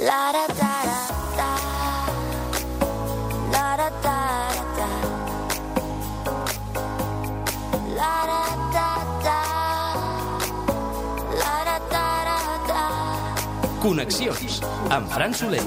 La da da da la da da da la da da da la da da da. Connexions amb Fran Soler.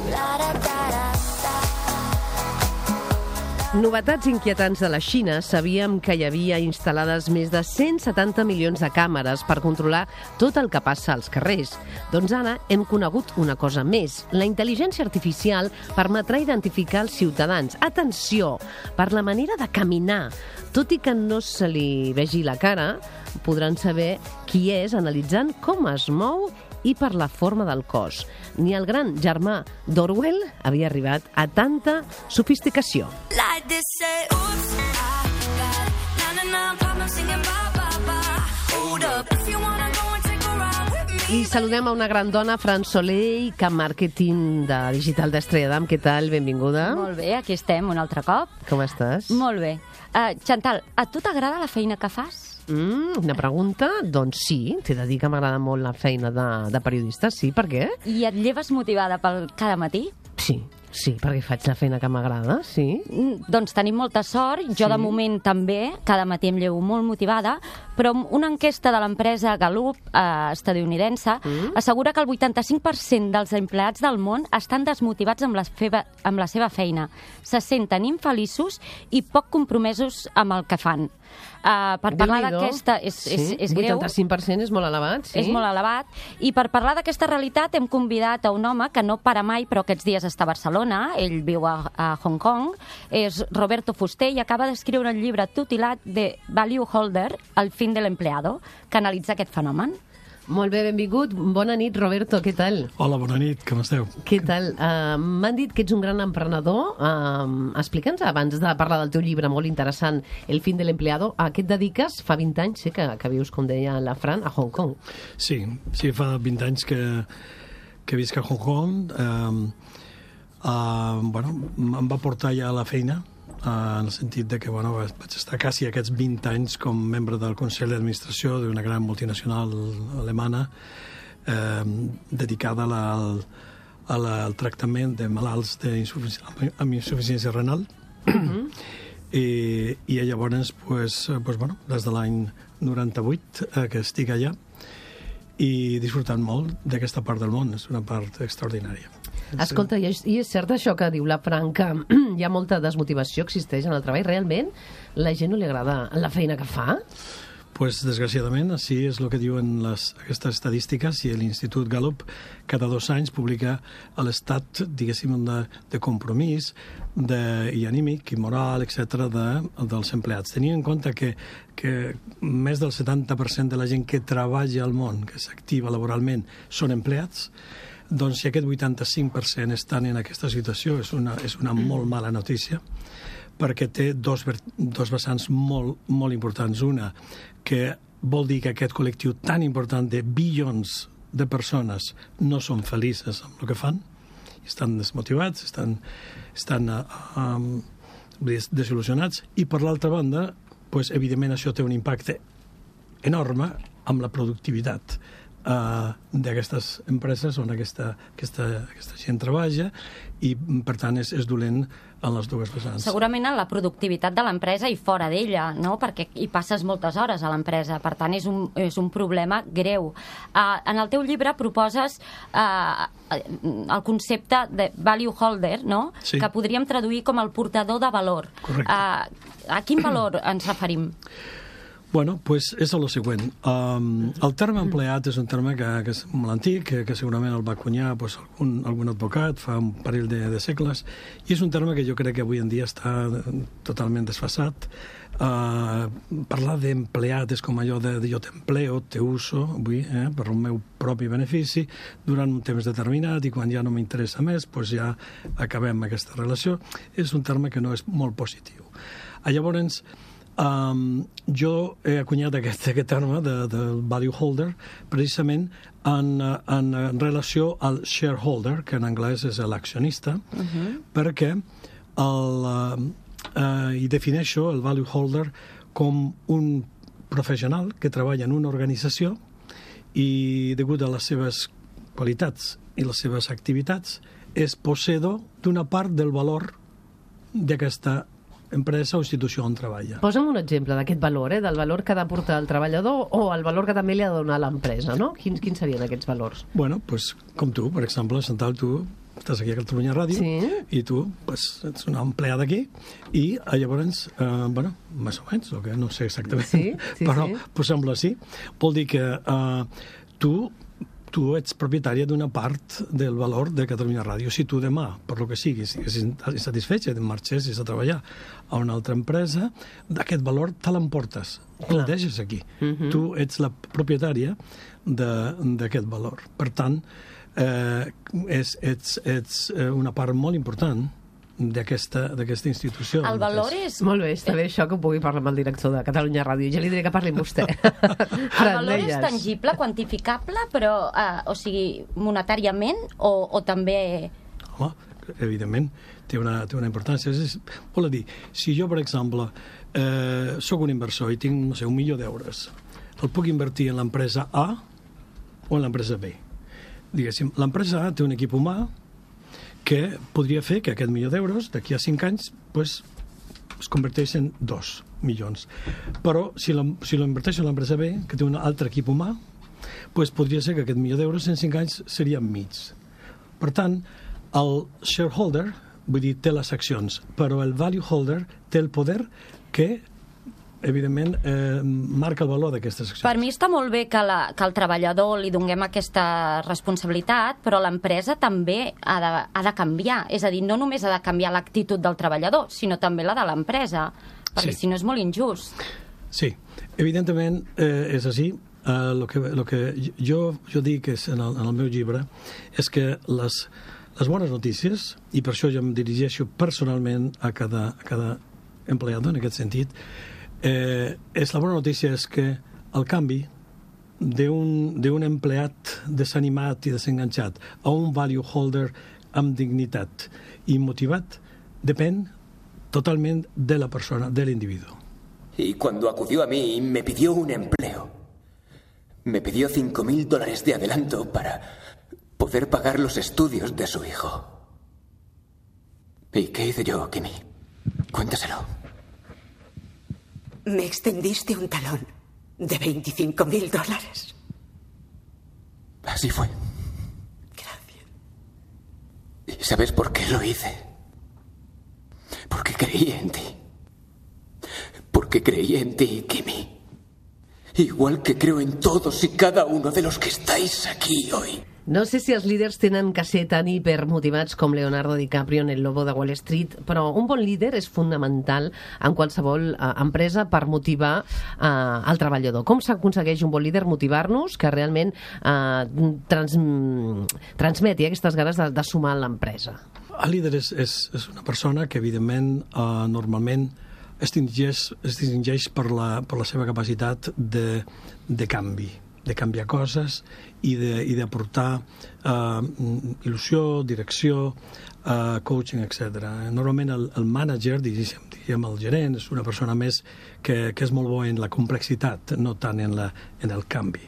Novetats inquietants de la Xina. Sabíem que hi havia instal·lades més de 170 milions de càmeres per controlar tot el que passa als carrers. Doncs ara hem conegut una cosa més. La intel·ligència artificial permetrà identificar els ciutadans. Atenció, per la manera de caminar. Tot i que no se li vegi la cara, podran saber qui és analitzant com es mou i per la forma del cos. Ni el gran germà d'Orwell havia arribat a tanta sofisticació. Like this, say, oops, I got na problem singing ba ba ba. Hold up, if you wanna go and take a ride with me. I saludem a una gran dona, Fran Soler, Camp Màrqueting de Digital d'Estrella d'Am. Què tal? Benvinguda. Molt bé, aquí estem un altre cop. Com estàs? Molt bé. Chantal, a tu t'agrada la feina que fas? Una pregunta? Doncs sí, t'he de dir que m'agrada molt la feina de periodista. Sí, per què? I et lleves motivada pel cada matí? Sí, perquè faig la feina que m'agrada, sí. Doncs tenim molta sort, jo de moment també, cada matí em llevo molt motivada, però una enquesta de l'empresa Gallup estadounidense assegura que el 85% dels empleats del món estan desmotivats amb la seva feina, se senten infeliços i poc compromesos amb el que fan. Per parlar d'aquesta... És greu. 85% és molt elevat, sí. És molt elevat. I per parlar d'aquesta realitat hem convidat a un home que no para mai, però aquests dies està a Barcelona. Ell viu a Hong Kong. És Roberto Fuster i acaba d'escriure un llibre titulat The Value Holder, El fin de l'empleado, que analitza aquest fenomen. Molt bé, benvingut. Bona nit, Roberto, què tal? Hola, bona nit, com esteu? Què tal? M'han dit que ets un gran emprenedor. Explica'ns, abans de parlar del teu llibre molt interessant, El fin de l'empleado, a què et dediques? Fa 20 anys, sí, que vius, com deia la Fran, a Hong Kong. Sí, fa 20 anys que visc a Hong Kong. Em va portar ja a la feina, en el sentit de que vaig estar quasi aquests 20 anys com membre del Consell d'Administració d'una gran multinacional alemana dedicada al tractament de malalts amb insuficiència renal. I llavors, des de l'any 98 que estic allà i disfrutant molt d'aquesta part del món. És una part extraordinària. Escolta, i és cert això que diu la Fran, que hi ha molta desmotivació, existeix en el treball? Realment la gent no li agrada la feina que fa? Pues, desgraciadament, així és el que diuen aquestes estadístiques, i l'Institut Gallup cada 2 anys publica l'estat, diguéssim, de compromís i anímic i moral, etc., dels empleats. Tenint en compte que més del 70% de la gent que treballa al món, que s'activa laboralment, són empleats, doncs si aquest 85% estan en aquesta situació és una molt mala notícia, perquè té dos vessants molt importants. Una, que vol dir que aquest col·lectiu tan important de bilions de persones no són felices amb el que fan, estan desmotivats, estan desil·lusionats, i per l'altra banda, evidentment això té un impacte enorme amb la productivitat d'aquestes empreses on aquesta gent treballa, i per tant és dolent en les dues vessants. Segurament en la productivitat de l'empresa i fora d'ella, no? Perquè hi passes moltes hores a l'empresa, per tant és un problema greu. En el teu llibre proposes el concepte de value holder, no? Sí. Que podríem traduir com el portador de valor. Correcte. A quin valor ens referim? Bueno, pues és el següent. El terme empleat és un terme que és molt antic, que segurament el va acunyar algun advocat fa un parell de segles, i és un terme que jo crec que avui en dia està totalment desfasat. Parlar d'empleat és com allò de jo t'empleo, te uso, avui, per el meu propi benefici, durant un temps determinat, i quan ja no m'interessa més, ja acabem aquesta relació. És un terme que no és molt positiu. Llavors, jo he acunyat aquest terme del value holder precisament en relació al shareholder, que en anglès és l'accionista, perquè hi defineixo el value holder com un professional que treballa en una organització i, degut a les seves qualitats i les seves activitats és posseïdor d'una part del valor d'aquesta empresa o institució on treballa. Posa'm un exemple d'aquest valor, del valor que ha d'aportar el treballador o el valor que també li ha de donar l'empresa, no? Quins serien aquests valors? Bueno, pues, com tu, per exemple, Chantal, tu estàs aquí a Catalunya Ràdio i tu pues, ets una empleada aquí i llavors, bueno, més o menys, que no sé exactament, però posem-lo així. Vol dir que tu ets propietària d'una part del valor de Catalunya Ràdio. Si tu demà, per lo que sigui, estiguessis insatisfetge i marxessis a treballar a una altra empresa, d'aquest valor te l'emportes, el deixes aquí. Tu ets la propietària d'aquest valor. Per tant, ets una part molt important d'aquesta institució. El valor és... Molt bé, està bé això que ho pugui parlar amb el director de Catalunya Ràdio. Ja li diré que parli amb vostè. El valor és tangible, quantificable, però, o sigui, monetàriament o també... Home, evidentment, té una importància. Vol dir, si jo, per exemple, sóc un inversor i tinc, no sé, 1 milió d'euros, el puc invertir en l'empresa A o en l'empresa B. Diguéssim, l'empresa A té un equip humà que podria fer que aquest milió d'euros, d'aquí a 5 anys, pues, es converteix en 2 milions. Però si l'inverteixo en l'empresa B, que té un altre equip humà, pues, podria ser que aquest milió d'euros en 5 anys seria mig. Per tant, el shareholder, vull dir, té les accions, però el value holder té el poder que evidentment, marca el valor d'aquestes accions. Per mi està molt bé que el treballador li donem aquesta responsabilitat, però l'empresa també ha de canviar. És a dir, no només ha de canviar l'actitud del treballador, sinó també la de l'empresa, perquè si no és molt injust. Sí, evidentment és així. El que jo dic en el meu llibre és que les bones notícies, i per això jo em dirigeixo personalment a cada empleado en aquest sentit, la bona notícia és que el canvi d'un empleat desanimat i desenganxat a un value holder amb dignitat i motivat depèn totalment de la persona, de l'individu. Y cuando acudió a mí me pidió un empleo. Me pidió $5,000 de adelanto para poder pagar los estudios de su hijo. ¿Y qué hice yo, Kimi? Cuéntaselo. Me extendiste un talón de $25,000. Así fue. Gracias. ¿Y sabes por qué lo hice? Porque creí en ti. Porque creí en ti, Kimi. Igual que creo en todos y cada uno de los que estáis aquí hoy. No sé si els líders tenen que ser tan hipermotivats com Leonardo DiCaprio en El Lobo de Wall Street, però un bon líder és fonamental en qualsevol empresa per motivar el treballador. Com s'aconsegueix un bon líder? Motivar-nos, que realment transmeti aquestes ganes de sumar a l'empresa. El líder és una persona que, evidentment, normalment es distingeix per la seva capacitat de canvi, de canviar coses i d'aportar il·lusió, direcció, coaching, etc. Normalment el manager, diguem el gerent, és una persona més que és molt bo en la complexitat, no tant en el canvi.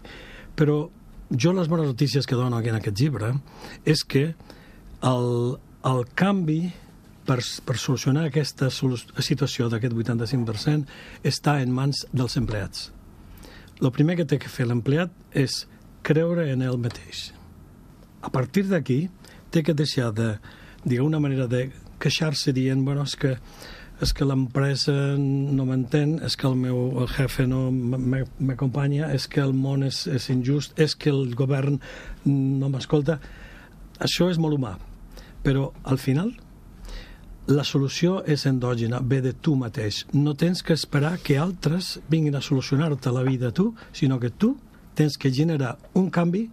Però jo les bones notícies que dono en aquest llibre és que el canvi per solucionar aquesta situació d'aquest 85% està en mans dels empleats. El primer que té que fer l'empleat és creure en ell mateix. A partir d'aquí, té que deixar d'una manera de queixar-se dient, bueno, és que l'empresa no m'entén, és que el jefe no m'acompanya, és que el món és injust, és que el govern no m'escolta. Això és molt humà, però al final la solució és endògena, ve de tu mateix. No tens que esperar que altres vinguin a solucionar-te la vida a tu, sinó que tu tens que generar un canvi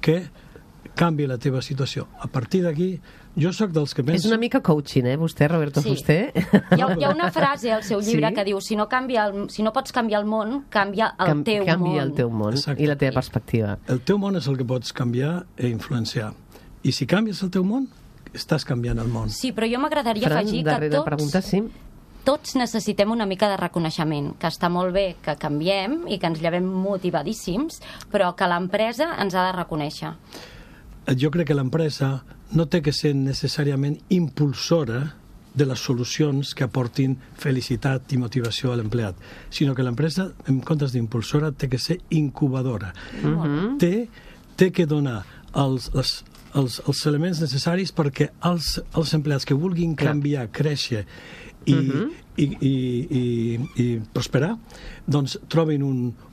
que canvi la teva situació. A partir d'aquí, jo sóc dels que penso... És una mica coaching, vostè, Roberto Fuster? Hi ha una frase al seu llibre que diu si no pots canviar el món, canvia el teu món. Canvia el teu món i la teva perspectiva. El teu món és el que pots canviar i influenciar. I si canvies el teu món, estàs canviant el món. Sí, però jo m'agradaria afegir que tots necessitem una mica de reconeixement, que està molt bé que canviem i que ens llevem motivadíssims, però que l'empresa ens ha de reconèixer. jo crec que l'empresa no té que ser necessàriament impulsora de les solucions que aportin felicitat i motivació a l'empleat, sinó que l'empresa, en comptes d'impulsora, té que ser incubadora. Té que donar els elements necessaris perquè els empleats que vulguin canviar, créixer i prosperar, doncs trobin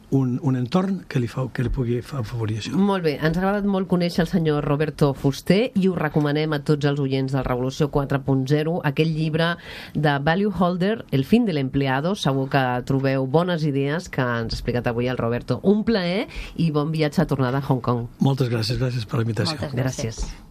un entorn que li pugui afavorir això. Molt bé, ens ha agradat molt conèixer el senyor Roberto Fuster i ho recomanem a tots els oients del Revolució 4.0, aquell llibre de Value Holder, El fin de l'empleado. Segur que trobeu bones idees que ens ha explicat avui el Roberto. Un plaer i bon viatge a tornada a Hong Kong. Moltes gràcies per la invitació. Moltes gràcies.